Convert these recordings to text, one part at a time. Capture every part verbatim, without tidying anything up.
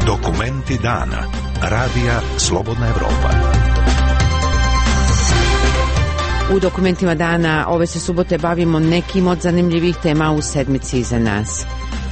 Dokumenti dana. Radija Slobodna Evropa. U dokumentima dana ove se subote bavimo nekim od zanimljivih tema u sedmici iza nas.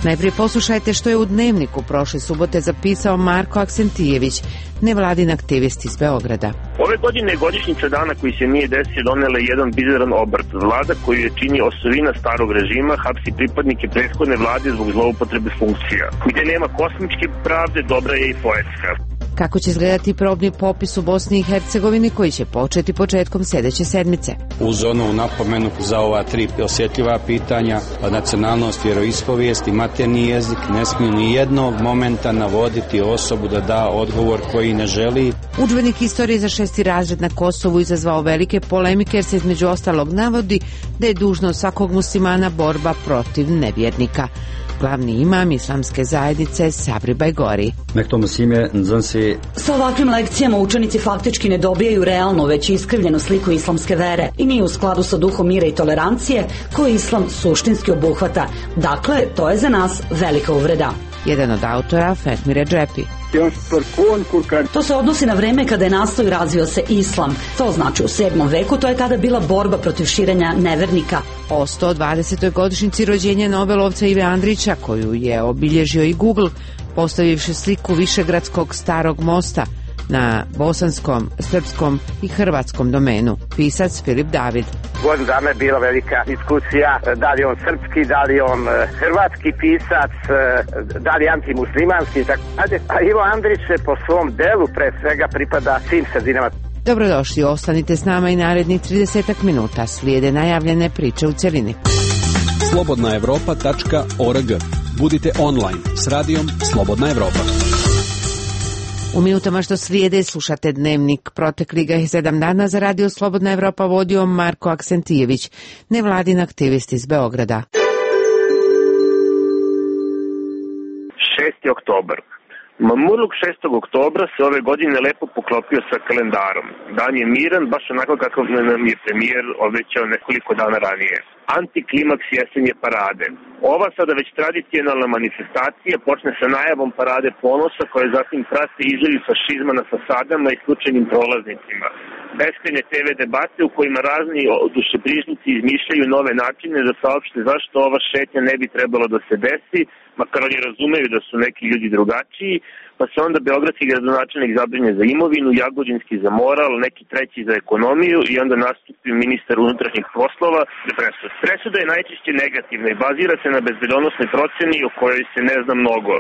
Najprije poslušajte što je u Dnevniku prošle subote zapisao Marko Aksentijević, nevladin aktivist iz Beograda. Ove godine je godišnjica dana koji se nije desio donela jedan bizaran obrt. Vlada koju je čini osovina starog režima hapsi pripadnike prethodne vlade zbog zloupotrebe funkcija. Gde nema kosmičke pravde, dobra je i poetska. Kako će izgledati probni popis u Bosni i Hercegovini koji će početi početkom sljedeće sedmice? Uz onu napomenu za ova tri osjetljiva pitanja, nacionalnost, vjeroispovijest i maternji jezik, ne smiju ni jednog momenta navoditi osobu da da odgovor koji ne želi. Udžbenik istorije za šesti razred na Kosovu izazvao velike polemike jer se između ostalog navodi da je dužnost svakog muslimana borba protiv nevjernika. Glavni imam islamske zajednice Sabri Bajgori. Sa ovakvim lekcijama učenici faktički ne dobijaju realnu, već iskrivljenu sliku islamske vere i nije u skladu sa duhom mira i tolerancije koje islam suštinski obuhvata. Dakle, to je za nas velika uvreda. Jedan od autora, Fatmir Redžepi. To se odnosi na vreme kada je nastao i razvio se islam. To znači u sedmom veku, to je kada bila borba protiv širenja nevernika. O sto dvadesetoj godišnjici rođenja nobelovca Ive Andrića, koju je obilježio i Google, postavivši sliku Višegradskog starog mosta na bosanskom, srpskom i hrvatskom domenu. Pisac Filip David. Godinu dana je bila velika diskusija, da li on srpski, da li on hrvatski pisac, da li antimuslimanski, tako. A Ivo Andrić se po svom delu pre svega pripada svim sredinama. Dobrodošli, ostanite s nama i narednih trideset minuta. Slijede najavljene priče u cjelini. slobodna evropa tačka org. Budite online s radijom Slobodna Evropa. U minutama što slijede slušate Dnevnik. Protekli ga je sedam dana za radio Slobodna Evropa vodio Marko Aksentijević, nevladin aktivist iz Beograda. šesti oktobar. Mamurluk šestog oktobra se ove godine lepo poklopio sa kalendarom. Dan je miran, baš onako kako nam je premijer obećao nekoliko dana ranije. Antiklimaks jesenje parade. Ova sada već tradicionalna manifestacija počne sa najavom parade ponosa koje zatim prate izliv fašizma na fasadama i slučajnim prolaznicima. Beskrajne te ve debate u kojima razni dušebrižnici izmišljaju nove načine da saopšte zašto ova šetnja ne bi trebalo da se desi, makar oni razumeju da su neki ljudi drugačiji, pa se onda beogradski gradonačelnik zabrine za imovinu, jagodinski za moral, neki treći za ekonomiju i onda nastupi ministar unutrašnjih poslova za presudu. Presuda je najčešće negativna i bazira se na bezbedonosnoj proceni o kojoj se ne zna mnogo.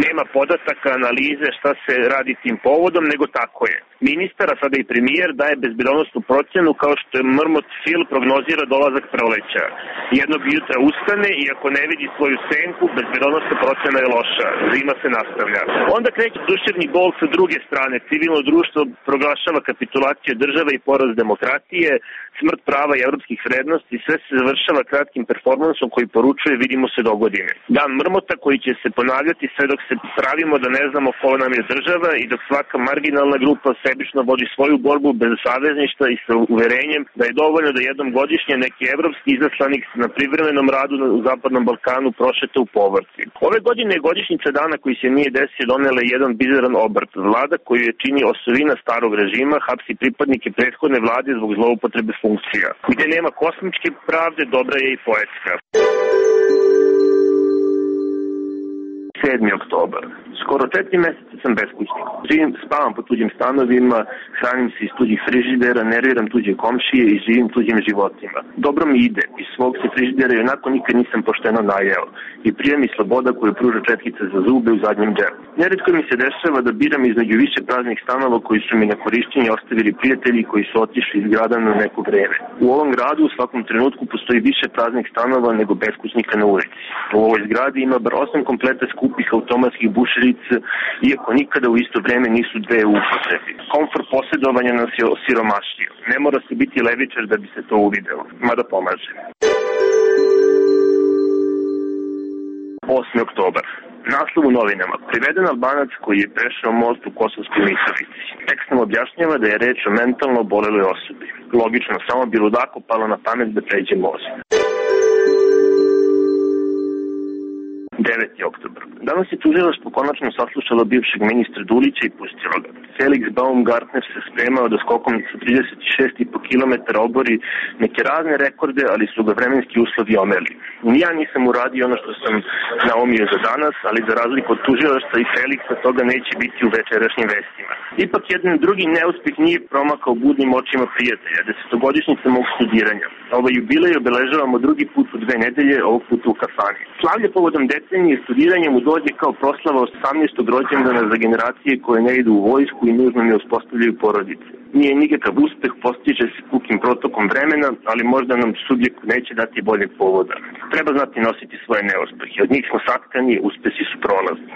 Nema podataka, analize šta se radi tim povodom, nego tako je. Ministar, a sada i premijer, daje bezbedonosnu procenu kao što je mrmot Fil prognozira dolazak proleća. Jednog jutra ustane i ako ne vidi svoju senku, bezbedonosna procena je loša. Zima se nastavlja. Onda kreće duševni bol sa druge strane. Civilno društvo proglašava kapitulaciju države i poraz demokratije, smrt prava i evropskih vrednosti, sve se završava kratkim performansom koji poručuje vidimo se do godine. Dan mrmota koji će se ponavljati sve dok se pravimo da ne znamo ko nam je država i dok svaka marginalna grupa sebično vodi svoju borbu bez savezništva i sa uverenjem da je dovoljno da jednom godišnje neki evropski izaslanik na privremenom radu u Zapadnom Balkanu prošeta u povorci. Ove godine je godišnjica dana koji se nije desio donela jedan bizaran obrt. Vlada koju je čini osovina starog režima hapsi pripadnike prethodne vlade zbog zloupotrebe funkcija. Gde nema kosmičke pravde, dobra je i poetska. sedmi oktobar. Skoro četiri mjeseca sam beskućnik. Živim, spavam po tuđim stanovima, hranim se iz tuđih frižidera, nerviram tuđe komšije i živim tuđim životima. Dobro mi ide, iz svog se frižidera i onako nikad nisam pošteno najeo. I prija mi sloboda koju pruža četkica za zube u zadnjem džepu. Neretko mi se dešava da biram između više praznih stanova koji su mi na korišćenje ostavili prijatelji koji su otišli iz grada na neko vreme. U ovom gradu u svakom trenutku postoji više praznih stanova nego beskućnika na ulici. U ovoj zgradi ima bar osam kompleta skupih automatskih bušerica, iako nikada u isto vreme nisu dve u upotrebi. Komfort posjedovanja nas je osiromašio. Ne mora se biti levičar da bi se to uvidelo, mada pomaže. osmi oktobar. Naslov u novinama. Priveden Albanac koji je prešao most u Kosovskoj Mitrovici. Tekst nam objašnjava da je reč o mentalno oboleloj osobi. Logično, samo bi ludaku palo na pamet da pređe most. deveti oktobar. Danas je tužilaštvo konačno saslušalo bivšeg ministra Dulića i pustilo ga. Felix Baumgartner se spremao da skokom sa trideset šest i po kilometara obori neke razne rekorde, ali su ga vremenski uslovi omeli. Ni ja nisam uradio ono što sam naumio za danas, ali za razliku od tužilaštva i Felixa toga neće biti u večerašnjim vestima. Ipak jedan drugi neuspeh nije promakao budnim očima prijatelja, desetogodišnjica mog studiranja. Ovaj jubilej obeležavamo drugi put u dve nedelje, ovog puta u kafani. Slavlje povodom decenije studiranja mu dođe kao proslava osamnaestog rođendana za generacije koje ne idu u vojsku i nužno ne uspostavljaju porodice. Nije nikakav uspeh, postiže se pukim protokom vremena, ali možda nam subjekt neće dati boljeg povoda. Treba znati nositi svoje neuspehe. Od njih smo satkani, uspesi su prolazni.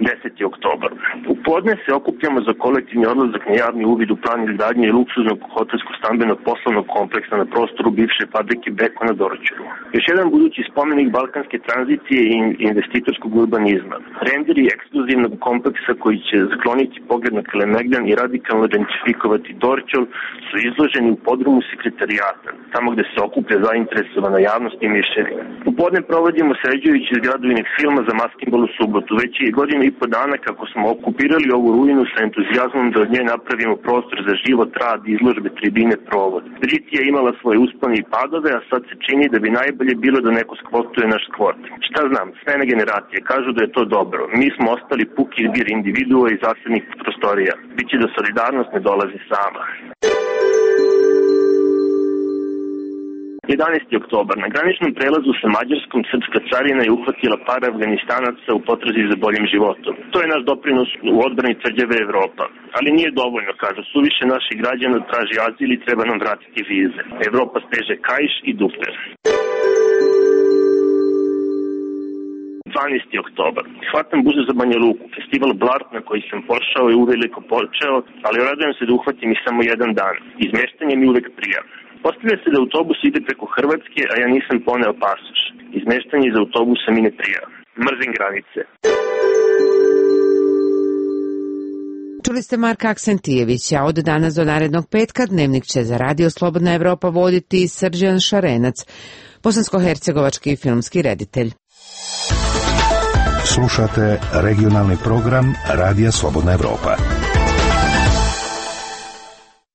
deseti oktobar. U podne se okupljamo za kolektivni odlazak na javni uvid u plan izgradnje i luksuznog hotelsko-stambenog poslovnog kompleksa na prostoru bivše fabrike Beko na Dorćolu. Još jedan budući spomenik balkanske tranzicije i investitorskog urbanizma. Renderi ekskluzivnog kompleksa koji će skloniti pogled na Kalemegdan i radikalno identifikovati Dorćol su izloženi u podrumu sekretarijata, tamo gde se okuplja zainteresovana javnost i mišljenja. U podne provodimo sređujući zgradu Inek filma za Maskinbal u subotu. Već je godinu i po dana kako smo okupirali ovu ruinu sa entuzijazmom da od nje napravimo prostor za život, rad, izložbe, tribine, provod. Britija je imala svoje uspone i padove, a sad se čini da bi najbolje bilo da neko skvotuje naš skvot. Šta znam, smene generacije kažu da je to dobro. Mi smo ostali puki zbir individua i zasebnih prostorija. Biće da solidarnost ne dolazi sama. jedanaesti oktobar. Na graničnom prelazu sa Mađarskom srpska carina je uhvatila par Afganistanaca u potrazi za boljim životom. To je naš doprinos u odbrani tvrđave Evropa. Ali nije dovoljno, kažu, suviše naših građana traži azil i treba nam vratiti vize. Evropa steže kaiš i duper. dvanaesti oktobar. Hvatam buzu za Banja Luku. Festival Blart na koji sam pošao je uveliko počeo, ali radujem se da uhvatim i samo jedan dan. Izmeštanje mi uvek prija. Postavlja se da autobus ide preko Hrvatske, a ja nisam poneo pasoš. Izmeštanje iz autobusa mi ne prija. Mrzim granice. Čuli ste Marka Aksentijevića. Od danas do narednog petka dnevnik će za Radio Slobodna Evropa voditi Srđan Šarenac, bosansko-hercegovački filmski reditelj. Slušate regionalni program Radija Slobodna Evropa.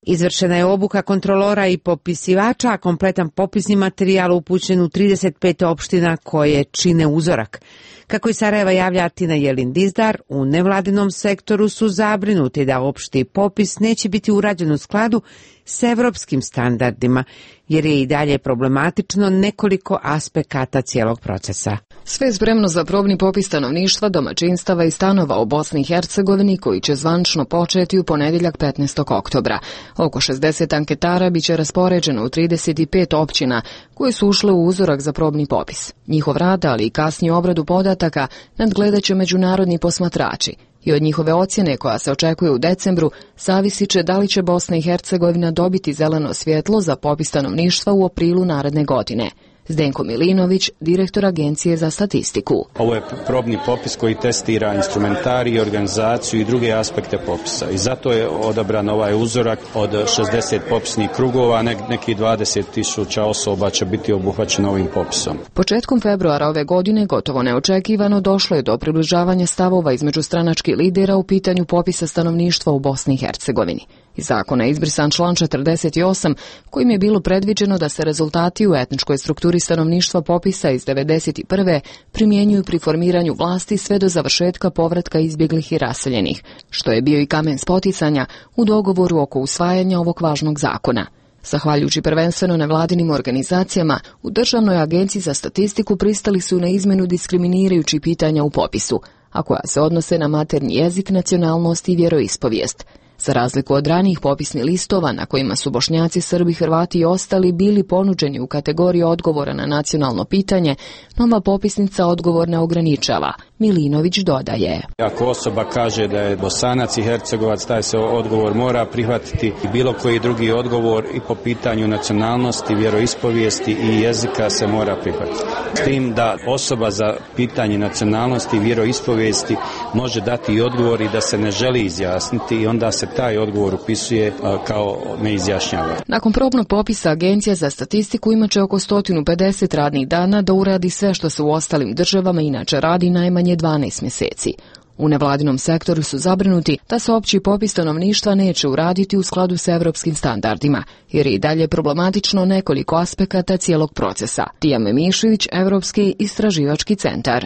Izvršena je obuka kontrolora i popisivača, a kompletan popisni materijal upućen u trideset pet opština koje čine uzorak. Kako i Sarajeva javlja Artina Jelin-Dizdar, u nevladinom sektoru su zabrinuti da opšti popis neće biti urađen u skladu s evropskim standardima, jer je i dalje problematično nekoliko aspekata cijelog procesa. Sve je spremno za probni popis stanovništva, domaćinstava i stanova u Bosni i Hercegovini koji će zvančno početi u ponedjeljak petnaestog oktobra. Oko šezdeset anketara biće raspoređeno u trideset pet općina koje su ušle u uzorak za probni popis. Njihov rad, ali i kasniju obradu podataka nadgledat će međunarodni posmatrači. I od njihove ocjene, koja se očekuje u decembru, zavisit će da li će Bosna i Hercegovina dobiti zeleno svjetlo za popis stanovništva u aprilu naredne godine. Zdenko Milinović, direktor Agencije za statistiku. Ovo je probni popis koji testira instrumentarij, organizaciju i druge aspekte popisa. I zato je odabran ovaj uzorak od šezdeset popisnih krugova, neki dvadeset tisuća osoba će biti obuhvaćeno ovim popisom. Početkom februara ove godine, gotovo neočekivano, došlo je do približavanja stavova između stranačkih lidera u pitanju popisa stanovništva u Bosni i Hercegovini. Iz zakona je izbrisan član četrdeset osam, kojim je bilo predviđeno da se rezultati u etničkoj strukturi stanovništva popisa iz devedeset prve primjenjuju pri formiranju vlasti sve do završetka povratka izbjeglih i raseljenih, što je bio i kamen spoticanja u dogovoru oko usvajanja ovog važnog zakona. Zahvaljujući prvenstveno nevladinim organizacijama, u Državnoj agenciji za statistiku pristali su na izmjenu diskriminirajućih pitanja u popisu, a koja se odnose na maternji jezik, nacionalnost i vjeroispovijest. Za razliku od ranijih popisnih listova na kojima su Bošnjaci, Srbi, Hrvati i ostali bili ponuđeni u kategoriji odgovora na nacionalno pitanje, nova popisnica odgovor ne ograničava. Milinović dodaje. Ako osoba kaže da je Bosanac i Hercegovac, taj se odgovor mora prihvatiti i bilo koji drugi odgovor i po pitanju nacionalnosti, vjeroispovijesti i jezika se mora prihvatiti. S tim da osoba za pitanje nacionalnosti i vjeroispovijesti može dati i odgovor i da se ne želi izjasniti i onda se taj odgovor upisuje kao neizjašnjava. Nakon probnog popisa Agencija za statistiku imaće oko sto pedeset radnih dana da uradi sve što se u ostalim državama inače radi najmanje dvanaest mjeseci. U nevladinom sektoru su zabrinuti da se opći popis stanovništva neće uraditi u skladu sa evropskim standardima, jer je i dalje problematično nekoliko aspekata cijelog procesa. Tijana Mišević, Evropski istraživački centar.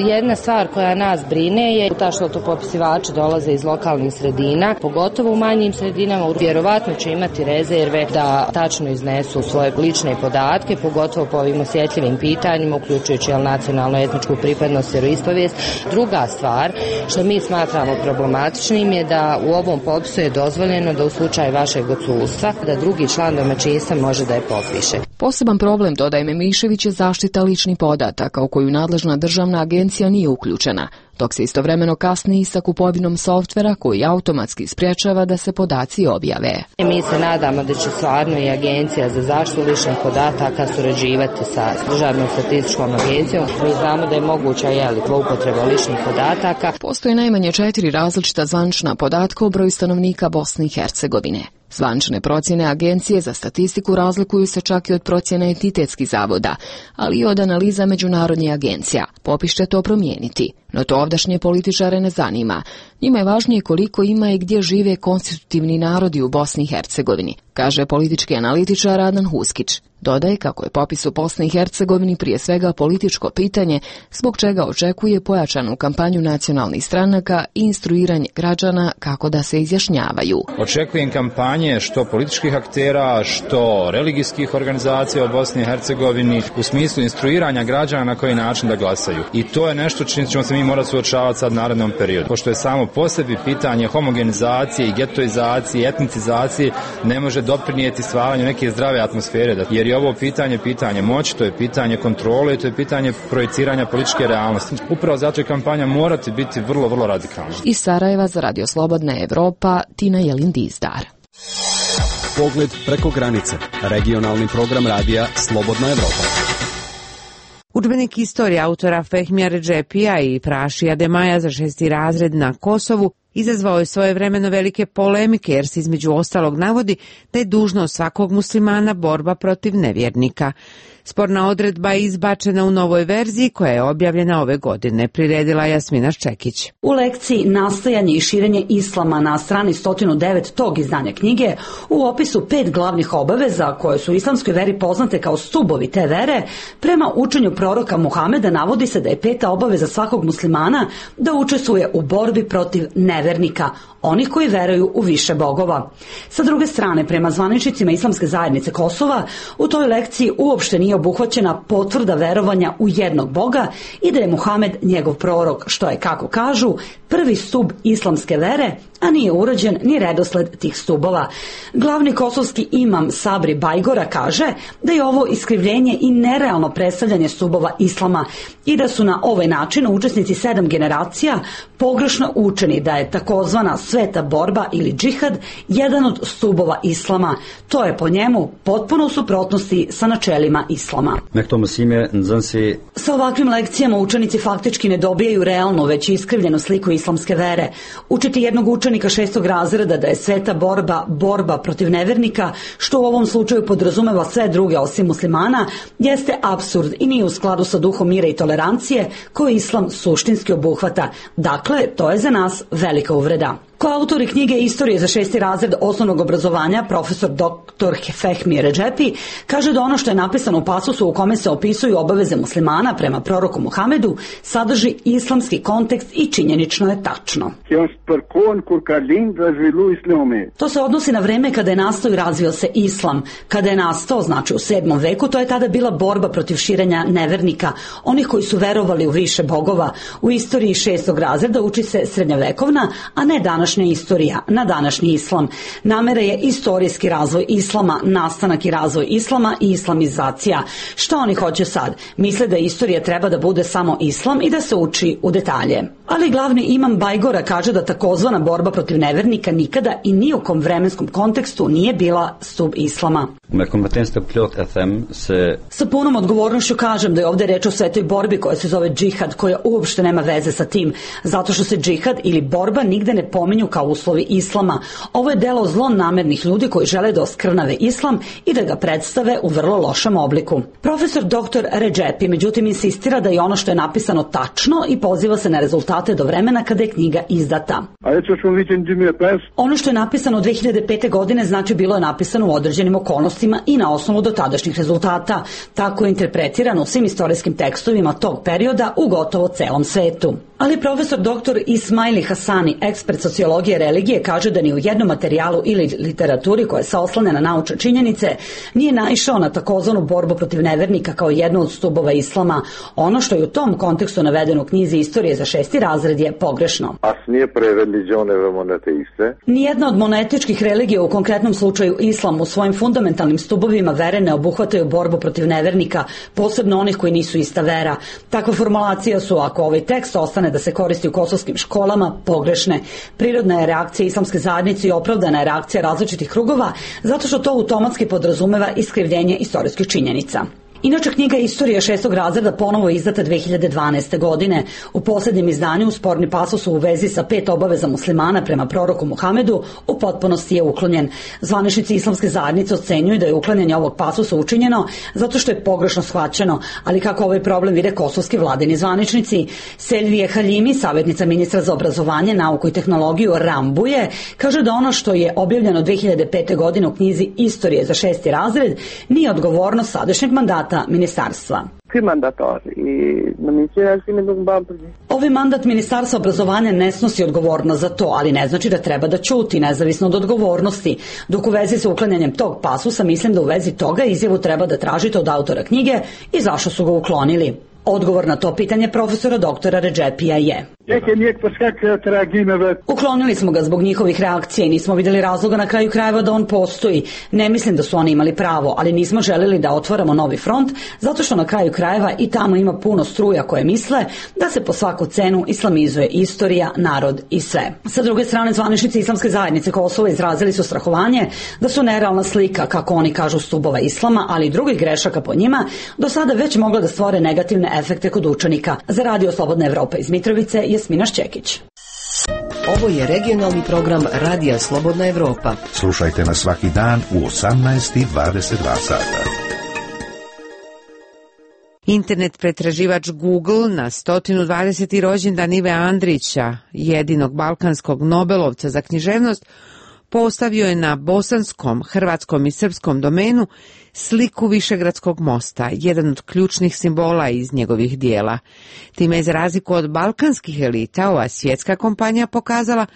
Jedna stvar koja nas brine je ta što to popisivači dolaze iz lokalnih sredina, pogotovo u manjim sredinama, vjerovatno će imati rezerve da tačno iznesu svoje lične podatke, pogotovo po ovim osjetljivim pitanjima, uključujući nacionalnu etničku pripadnost, vjeroispovijest. Druga stvar što mi smatramo problematičnim je da u ovom popisu je dozvoljeno da u slučaju vašeg odsustva da drugi član domaćinstva može da je popiše. Poseban problem, dodaje Memišević, je zaštita ličnih podataka u koju nadležna državna agencija nije uključena, dok se istovremeno kasni i sa kupovinom softvera koji automatski sprječava da se podaci objave. Mi se nadamo da će stvarno i Agencija za zaštitu ličnih podataka surađivati sa Državnom statističkom agencijom. Mi znamo da je moguća jeli, zloupotreba ličnih podataka. Postoje najmanje četiri različita zvanična podatka o broju stanovnika Bosne i Hercegovine. Zvanične procjene Agencije za statistiku razlikuju se čak i od procjene entitetskih zavoda, ali i od analiza međunarodnih agencija. Popis će to promijeniti, no to ovdašnje političare ne zanima. Njima je važnije koliko ima i gdje žive konstitutivni narodi u Bosni i Hercegovini, kaže politički analitičar Adnan Huskić. Dodaje kako je popis u Bosni i Hercegovini prije svega političko pitanje, zbog čega očekuje pojačanu kampanju nacionalnih stranaka i instruiranje građana kako da se izjašnjavaju. Očekujem kampanje što političkih aktera, što religijskih organizacija u Bosni i Hercegovini u smislu instruiranja građana na koji način da glasaju. I to je nešto čim ćemo se mi morati suočavati sad narednom periodu. Pošto je samo po sebi pitanje homogenizacije i getoizacije, etnicizacije, ne može doprinijeti stvaranju neke zdrave atmosfere, jer je ovo pitanje pitanje moći, to je pitanje kontrole, to je pitanje projiciranja političke realnosti. Upravo zato je kampanja morati biti vrlo, vrlo radikalna. Iz Sarajeva za Radio Slobodna Evropa, Tina Jelin-Dizdar. Pogled preko granice. Regionalni program radija Slobodna Evropa. Udžbenik istorije autora Fehmija Redžepija i Prašija Demaja za šesti razred na Kosovu izazvao je svojevremeno velike polemike jer se između ostalog navodi da je dužnost svakog muslimana borba protiv nevjernika. Sporna odredba je izbačena u novoj verziji koja je objavljena ove godine, priredila Jasmina Ščekić. U lekciji Nastajanje i širenje islama na strani sto devet tog izdanja knjige u opisu pet glavnih obaveza koje su u islamskoj veri poznate kao stubovi te vere, prema učenju proroka Muhameda navodi se da je peta obaveza svakog muslimana da učestvuje u borbi protiv nevernika, onih koji veruju u više bogova. Sa druge strane, prema zvaničnicima Islamske zajednice Kosova, u toj lekciji uopšte nije obuhvaćena potvrda verovanja u jednog Boga i da je Muhamed njegov prorok, što je, kako kažu, prvi stub islamske vere, a nije urađen ni redosled tih stubova. Glavni kosovski imam Sabri Bajgora kaže da je ovo iskrivljenje i nerealno predstavljanje stubova islama i da su na ovaj način učesnici sedam generacija pogrešno učeni da je takozvana sveta borba ili džihad jedan od stubova islama. To je po njemu potpuno u suprotnosti sa načelima islama. Sa ovakvim lekcijama učenici faktički ne dobijaju realnu, već iskrivljenu sliku islamske vere. Učiti jednog učenika šestog razreda da je sveta borba borba protiv nevernika, što u ovom slučaju podrazumeva sve druge osim muslimana, jeste apsurd i nije u skladu sa duhom mira i tolerancije koji islam suštinski obuhvata. Dakle, to je za nas velika uvreda. Koautori knjige Istorije za šesti razred osnovnog obrazovanja, profesor doktor Fehmi Redžepi, kaže da ono što je napisano u pasusu u kome se opisuju obaveze muslimana prema proroku Muhamedu sadrži islamski kontekst i činjenično je tačno. To se odnosi na vreme kada je nastao i razvio se islam. Kada je nastao, znači u sedmom veku, to je tada bila borba protiv širenja nevernika, onih koji su verovali u više bogova. U istoriji šestog razreda uči se srednjovekovna, a ne danas današnja istorija, na današnji islam. Namera je istorijski razvoj islama, nastanak i razvoj islama i islamizacija. Što oni hoće sad? Misle da istorija treba da bude samo islam i da se uči u detalje. Ali glavni imam Bajgora kaže da takozvana borba protiv nevernika nikada i ni u kom vremenskom kontekstu nije bila stub islama. Sa punom odgovornošću kažem da je ovdje reč o svetoj borbi koja se zove džihad, koja uopšte nema veze sa tim, zato što se džihad ili borba nigde ne pominju kao uslovi islama. Ovo je delo zlonamernih ljudi koji žele da oskrnave islam i da ga predstave u vrlo lošem obliku. Profesor doktor Redžepi međutim insistira da je ono što je napisano tačno i poziva se na rezultate do vremena kada je knjiga izdata. Ono što je napisano dve hiljade pete. godine znači bilo je napisano u određenim okolnostima i na osnovu dotadašnjih rezultata. Tako je interpretirano u svim istorijskim tekstovima tog perioda u gotovo celom svetu. Ali profesor doktor Ismaili Hasani, ekspert sociologije religije, kaže da ni u jednom materijalu ili literaturi koja se oslane na naučne činjenice nije naišao na takozvanu borbu protiv nevernika kao jednu od stubova islama. Ono što je u tom kontekstu navedeno u knjizi Istorije za šesti razred je pogrešno. Nijedna od monetičkih religija, u konkretnom slučaju islam, u svojim fundamentalnim stubovima vere ne obuhvataju borbu protiv nevernika, posebno onih koji nisu ista vera. Takva formulacija su, ako ovaj tekst ostane da se koristi u kosovskim školama, pogrešne. Prirodna je reakcija islamske zajednice i opravdana je reakcija različitih krugova, zato što to automatski podrazumeva iskrivljenje istorijskih činjenica. Inače, knjiga Istorija šestog razreda ponovo je izdata dve hiljade dvanaeste. godine. U posljednjem izdanju sporni pasus u vezi sa pet obaveza muslimana prema proroku Muhamedu u potpunosti je uklonjen. Zvaničnici islamske zajednice ocenjuju da je uklanjanje ovog pasusa učinjeno zato što je pogrešno shvaćeno, ali kako ovaj problem vide kosovski vladini zvaničnici. Selvije Haljimi, savjetnica ministra za obrazovanje, nauku i tehnologiju Rambuje, kaže da ono što je objavljeno dve hiljade pete. godine u knjizi Istorije za šesti razred nije odgovornost sadašnjeg mandata ministarstva. Ovaj mandat ministarstva obrazovanja ne snosi odgovornost za to, ali ne znači da treba da ćuti, nezavisno od odgovornosti. Dok u vezi sa uklanjanjem tog pasusa, mislim da u vezi toga izjavu treba da tražite od autora knjige i zašto su ga uklonili. Odgovor na to pitanje profesora doktora Redžepija je: uklonili smo ga zbog njihovih reakcija i nismo vidjeli razloga na kraju krajeva da on postoji. Ne mislim da su oni imali pravo, ali nismo željeli da otvaramo novi front, zato što na kraju krajeva i tamo ima puno struja koje misle da se po svaku cenu islamizuje istorija, narod i sve. Sa druge strane, zvaničnici islamske zajednice Kosova izrazili su strahovanje da su nerealna slika, kako oni kažu, stubova islama, ali i drugih grešaka po njima, do sada već mogla da stvore negativne efekte kod učenika. Za Radio Slobodna Evropa iz Mitrovice, Jasmina Šćekić. Ovo je regionalni program Radija Slobodna Evropa. Slušajte nas svaki dan u osamnaest i dvadeset dva sata. Internet pretraživač Google na sto dvadeseti rođendan Ive Andrića, jedinog balkanskog Nobelovca za književnost, postavio je na bosanskom, hrvatskom i srpskom domenu sliku Višegradskog mosta, jedan od ključnih simbola iz njegovih dijela. Time je, za razliku od balkanskih elita, ova svjetska kompanija pokazala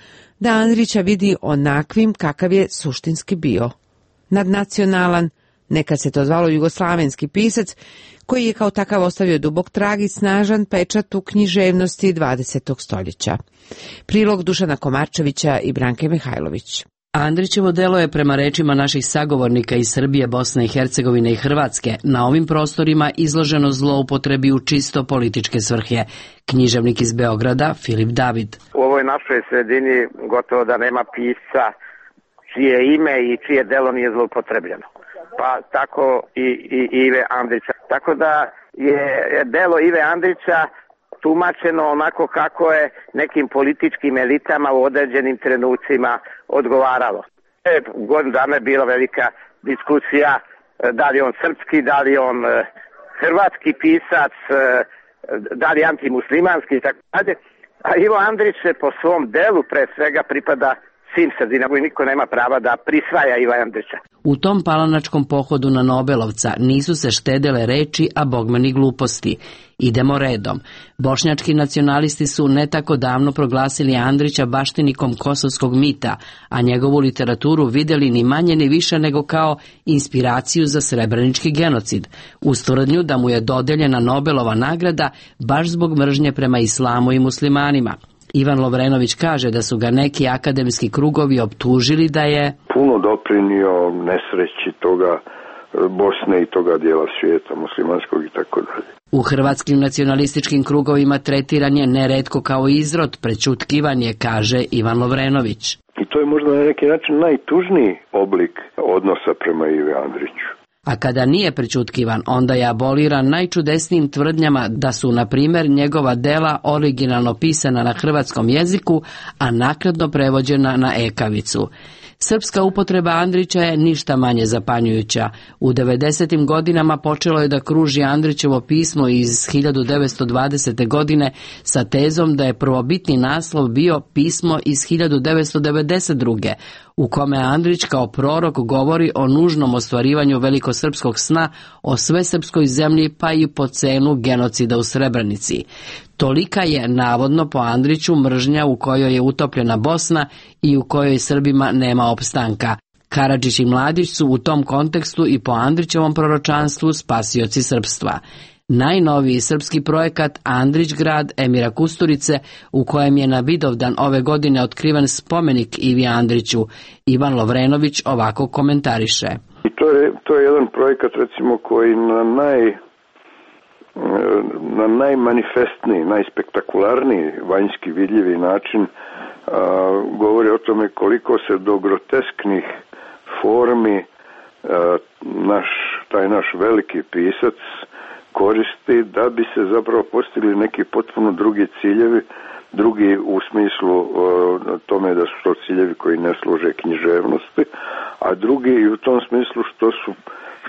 da Andrića vidi onakvim kakav je suštinski bio. Nadnacionalan, nekad se to zvalo jugoslavenski pisac, koji je kao takav ostavio dubok trag i snažan pečat u književnosti dvadesetog stoljeća. Prilog Dušana Komarčevića i Branke Mihajlović. Andrićevo delo je, prema rečima naših sagovornika iz Srbije, Bosne i Hercegovine i Hrvatske, na ovim prostorima izloženo zloupotrebi u čisto političke svrhe. Književnik iz Beograda, Filip David. U ovoj našoj sredini gotovo da nema pisca čije ime i čije delo nije zloupotrebljeno. Pa tako i, i Ive Andrića. Tako da je delo Ive Andrića tumačeno onako kako je nekim političkim elitama u određenim trenucima odgovaralo. E, godinu dana je bila velika diskusija da li on srpski, da li on hrvatski pisac, da li antimuslimanski i tako dalje. A Ivo Andrić po svom delu pre svega pripada svim sredinama i niko nema prava da prisvaja Iva Andrića. U tom palanačkom pohodu na Nobelovca nisu se štedele reči, a bogme ni gluposti. Idemo redom. Bošnjački nacionalisti su ne tako davno proglasili Andrića baštinikom kosovskog mita, a njegovu literaturu vidjeli ni manje ni više nego kao inspiraciju za srebrenički genocid, uz tvrdnju da mu je dodeljena Nobelova nagrada baš zbog mržnje prema islamu i muslimanima. Ivan Lovrenović kaže da su ga neki akademski krugovi optužili da je puno doprinio nesreći toga Bosne i toga dijela svijeta muslimanskog i tako dalje. U hrvatskim nacionalističkim krugovima tretiran je neretko kao izrod, prećutkivan je, kaže Ivan Lovrenović. I to je možda na neki način najtužniji oblik odnosa prema Ivi Andriću. A kada nije prećutkivan, onda je aboliran najčudesnijim tvrdnjama da su, na primjer, njegova dela originalno pisana na hrvatskom jeziku, a naknadno prevođena na ekavicu. Srpska upotreba Andrića je ništa manje zapanjujuća. U devedesetim godinama počelo je da kruži Andrićevo pismo iz hiljadu devetsto dvadesete. godine sa tezom da je prvobitni naslov bio pismo iz hiljadu devetsto devedeset druge. u kome Andrić kao prorok govori o nužnom ostvarivanju velikosrpskog sna o svesrpskoj zemlji, pa i po cenu genocida u Srebrenici. Tolika je, navodno po Andriću, mržnja u kojoj je utopljena Bosna i u kojoj Srbima nema opstanka. Karadžić i Mladić su u tom kontekstu i po Andrićevom proročanstvu spasioci srpstva. Najnoviji srpski projekat Andrić grad Emira Kusturice, u kojem je na Vidovdan ove godine otkriven spomenik Ivi Andriću, Ivan Lovrenović ovako komentariše. I to je, to je jedan projekat, recimo, koji na naj na najmanifestniji, najspektakularniji vanjski vidljivi način a, govori o tome koliko se do grotesknih formi a, naš, taj naš veliki pisac koristi da bi se zapravo postigli neki potpuno drugi ciljevi, drugi u smislu o, tome da su to ciljevi koji ne služe književnosti, a drugi i u tom smislu što su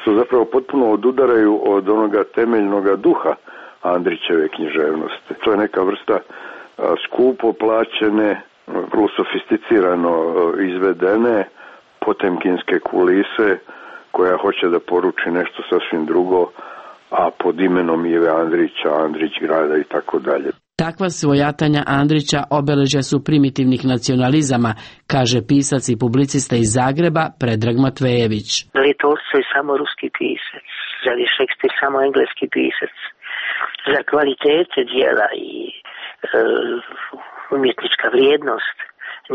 što zapravo potpuno odudaraju od onoga temeljnoga duha Andrićeve književnosti. To je neka vrsta a, skupo plaćene, vrlo sofisticirano izvedene potemkinske kulise koja hoće da poruči nešto sasvim drugo, a pod imenom Ive Andrića, Andrić grada i tako dalje. Takva svojatanja Andrića obeležja su primitivnih nacionalizama, kaže pisac i publicista iz Zagreba Predrag Matvejević. Da li je Tolstoj samo ruski pisac? Da li je Šekspir samo engleski pisac? Za kvalitete dijela i e, umjetnička vrijednost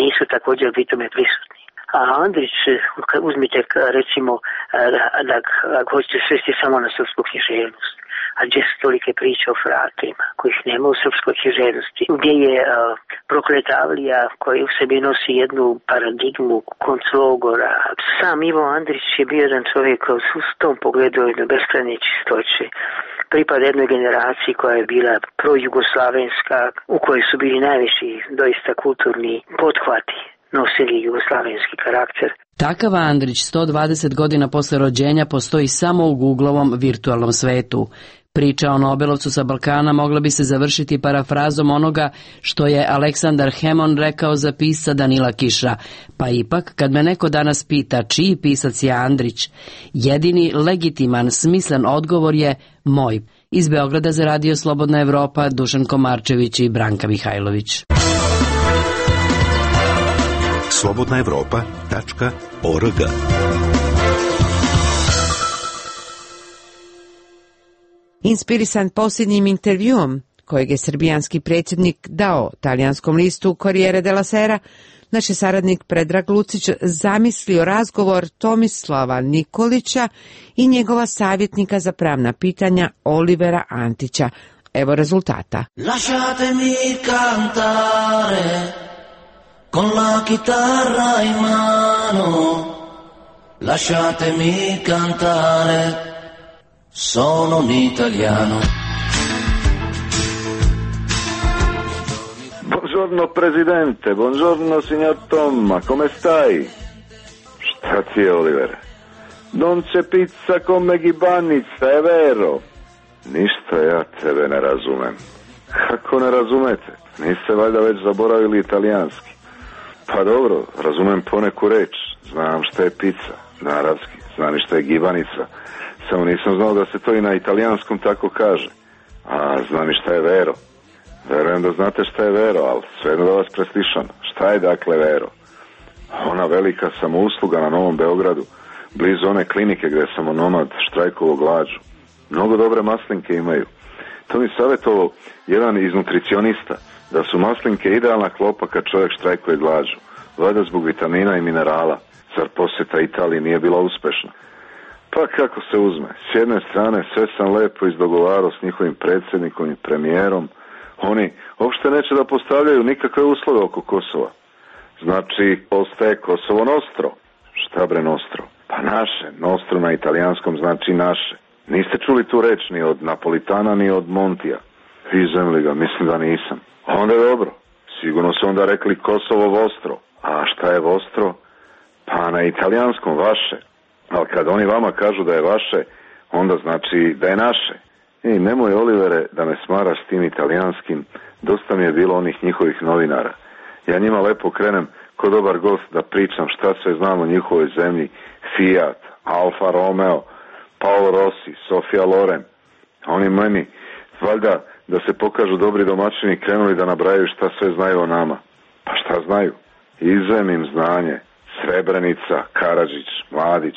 nisu također bitome prisutni. A Andrić, uzmite recimo, ako hoćete svesti samo na srpsku književnost, a gdje su tolike priče o fratima, kojih nema u srpskoj književnosti, gdje je uh, prokletavlija koja u sebi nosi jednu paradigmu konclogora. Sam Ivo Andrić je bio jedan čovjek u tom pogledu jedne beskrajne čistoće. Pripada jednoj generaciji koja je bila projugoslavenska, u kojoj su bili najveći doista kulturni pothvati, nosili jugoslavenski karakter. Takav Andrić sto dvadeset godina posle rođenja postoji samo u Googlovom virtualnom svetu. Priča o Nobelovcu sa Balkana mogla bi se završiti parafrazom onoga što je Aleksandar Hemon rekao za pisca Danila Kiša. Pa ipak, kad me neko danas pita čiji pisac je Andrić, jedini legitiman, smislen odgovor je moj. Iz Beograda za Radio Slobodna Evropa, Dušan Komarčević i Branka Mihajlović. slobodna evropa tačka org. Inspirisan posljednjim intervjuom kojeg je srbijanski predsjednik dao talijanskom listu Corriere della Sera, naš je saradnik Predrag Lucić zamislio razgovor Tomislava Nikolića i njegova savjetnika za pravna pitanja Olivera Antića. Evo rezultata. Lasciatemi cantare con la chitarra in mano, lasciatemi cantare, sono un italiano. Buongiorno presidente, buongiorno signor Tomma, come stai? Šta ti je, Oliver? Non c'è pizza come gibanica, è vero? Ništa ja tebe ne razumem. Kako ne razumete? Niste valjda već zaboravili italijanski? Pa dobro, razumem poneku reč, znam šta je pizza, na arapski, znam i šta je gibanica, samo nisam znao da se to i na italijanskom tako kaže. A znam i šta je vero. Verujem da znate šta je vero, ali svejedno da vas preslišam. Šta je dakle vero? Ona velika samousluga na Novom Beogradu, blizu one klinike gde je samonomad štrajkovo glađu. Mnogo dobre maslinke imaju. To mi savjetovao jedan iz nutricionista, da su maslinke idealna klopa kad čovjek štrajkuje glađu, valjda zbog vitamina i minerala. Zar posjeta Italiji nije bila uspešna? Pa kako se uzme, s jedne strane sve sam lepo izdogovarao s njihovim predsjednikom i premijerom, oni uopšte neće da postavljaju nikakve uslove oko Kosova. Znači, ostaje Kosovo nostro. Šta bre nostro? Pa naše, nostro na italijanskom znači naše. Niste čuli tu reč ni od Napolitana ni od Montija? Izem ga, mislim da nisam. Onda je dobro, sigurno su onda rekli Kosovo vostro. A šta je vostro? Pa na italijanskom vaše. Ali kad oni vama kažu da je vaše, onda znači da je naše. I nemoj, Olivere, da me smaraš s tim italijanskim, dosta mi je bilo onih njihovih novinara. Ja njima lepo krenem ko dobar gost da pričam šta sve znam o njihovoj zemlji, Fiat, Alfa Romeo, Paolo Rossi, Sofia Loren. A oni meni, valjda da se pokažu dobri domaćini, krenuli da nabrajaju šta sve znaju o nama. Pa šta znaju? Izvem im znanje. Srebrenica, Karadžić, Mladić.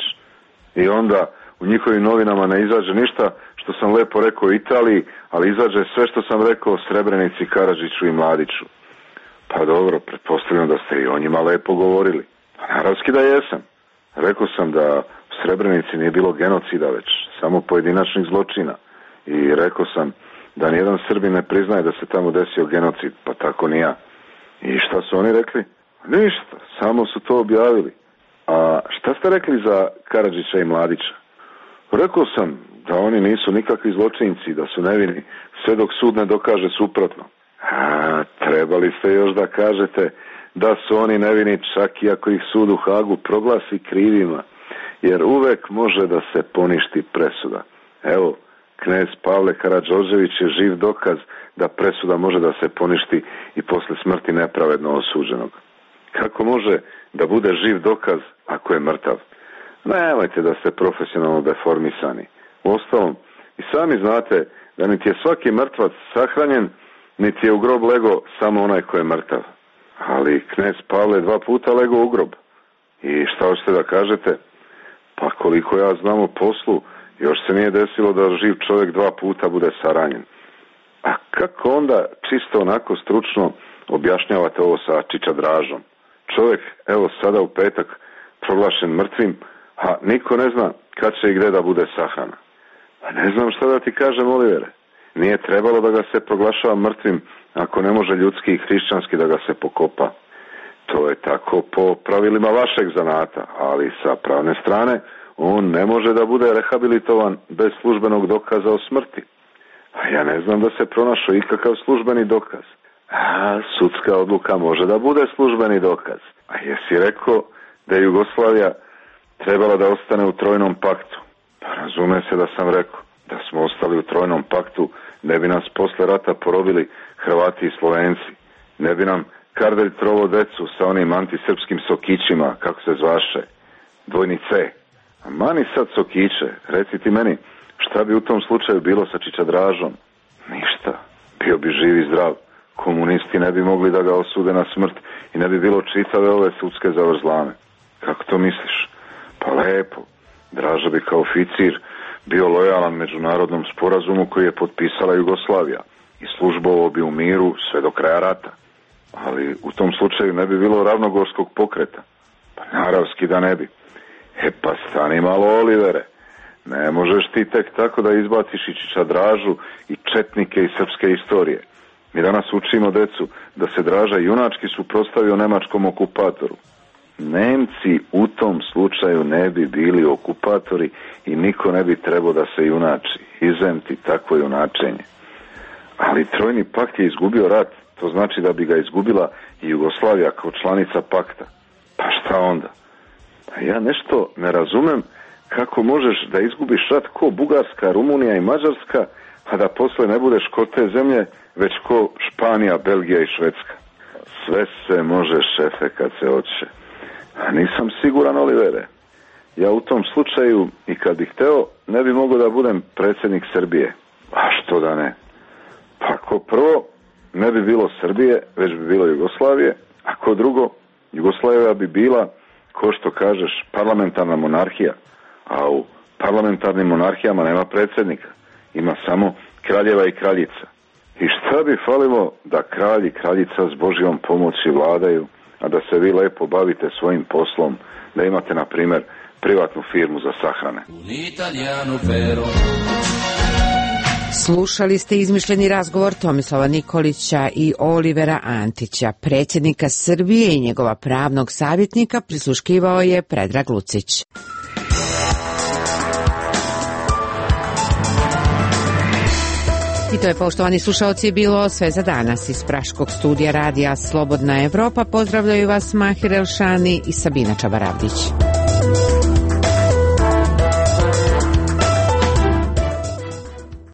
I onda u njihovim novinama ne izađe ništa što sam lepo rekao o Italiji, ali izađe sve što sam rekao o Srebrenici, Karadžiću i Mladiću. Pa dobro, pretpostavljam da ste i o njima lepo govorili. Pa naravski da jesam. Rekao sam da u Srebrenici nije bilo genocida već, samo pojedinačnih zločina. I rekao sam da nijedan Srbin ne priznaje da se tamo desio genocid, pa tako ni ja. I šta su oni rekli? Ništa, samo su to objavili. A šta ste rekli za Karadžića i Mladića? Rekao sam da oni nisu nikakvi zločinci, da su nevini, sve dok sud ne dokaže suprotno. A, trebali ste još da kažete da su oni nevini čak i ako ih sud u Hagu proglasi krivima, jer uvek može da se poništi presuda. Evo, knez Pavle Karadžožević je živ dokaz da presuda može da se poništi i posle smrti nepravedno osuđenog. Kako može da bude živ dokaz ako je mrtav? Nemojte da ste profesionalno deformisani. Uostalom, i sami znate da niti je svaki mrtvac sahranjen, niti je u grob lego samo onaj ko je mrtav. Ali knez Pavle dva puta lego u grob. I šta hoćete da kažete? Pa koliko ja znam o poslu, još se nije desilo da živ čovjek dva puta bude saranjen. A kako onda čisto onako stručno objašnjavate ovo sa Čiča Dražom? Čovjek, evo sada u petak proglašen mrtvim, a niko ne zna kad će i gde da bude sahrana. Pa ne znam šta da ti kažem, Olivere. Nije trebalo da ga se proglašava mrtvim ako ne može ljudski i hrišćanski da ga se pokopa. To je tako po pravilima vašeg zanata, ali sa pravne strane on ne može da bude rehabilitovan bez službenog dokaza o smrti. A ja ne znam da se pronašao ikakav službeni dokaz. A sudska odluka može da bude službeni dokaz. A jesi rekao da je Jugoslavija trebala da ostane u trojnom paktu? Pa razume se da sam rekao. Da smo ostali u trojnom paktu, ne bi nas posle rata porobili Hrvati i Slovenci. Ne bi nam Kardelj trovo decu sa onim antisrpskim sokićima, kako se zvaše, dvojni C. A mani sad sokiće, reci ti meni, šta bi u tom slučaju bilo sa Čiča Dražom? Ništa, bio bi živ i zdrav. Komunisti ne bi mogli da ga osude na smrt i ne bi bilo čitave ove sudske zavrzlame. Kako to misliš? Pa lepo, Draža bi kao oficir bio lojalan međunarodnom sporazumu koji je potpisala Jugoslavija i službovao bi u miru sve do kraja rata. Ali u tom slučaju ne bi bilo ravnogorskog pokreta. Pa naravski da ne bi. E pa stani malo, Olivere. Ne možeš ti tek tako da izbaciš i Čiča Dražu i četnike iz srpske istorije. Mi danas učimo decu da se Draža junački suprotstavio nemačkom okupatoru. Nemci u tom slučaju ne bi bili okupatori i niko ne bi trebao da se junači. Izem ti takvo junačenje. Ali trojni pakt je izgubio rat. To znači da bi ga izgubila i Jugoslavija kao članica pakta. Pa šta onda? Pa ja nešto ne razumem kako možeš da izgubiš rat ko Bugarska, Rumunija i Mađarska, a da posle ne budeš ko te zemlje, već ko Španija, Belgija i Švedska. Sve se može, šefe, kad se hoće. A nisam siguran, Olivere. Ja u tom slučaju, i kad bih hteo, ne bi mogao da budem predsjednik Srbije. A što da ne? Pa ko prvo, ne bi bilo Srbije, već bi bilo Jugoslavije, a ko drugo, Jugoslavija bi bila, ko što kažeš, parlamentarna monarhija, a u parlamentarnim monarhijama nema predsjednika. Ima samo kraljeva i kraljica. I šta bi falilo da kralj i kraljica s Božjom pomoći vladaju, a da se vi lepo bavite svojim poslom, da imate, na primjer, privatnu firmu za sahrane. Slušali ste izmišljeni razgovor Tomislava Nikolića i Olivera Antića, predsjednika Srbije i njegova pravnog savjetnika, prisluškivao je Predrag Lucić. I to je, poštovani slušaoci, bilo sve za danas. Iz Praškog studija radija Slobodna Evropa pozdravljaju vas Mahir Elšani i Sabina Čabaravdić.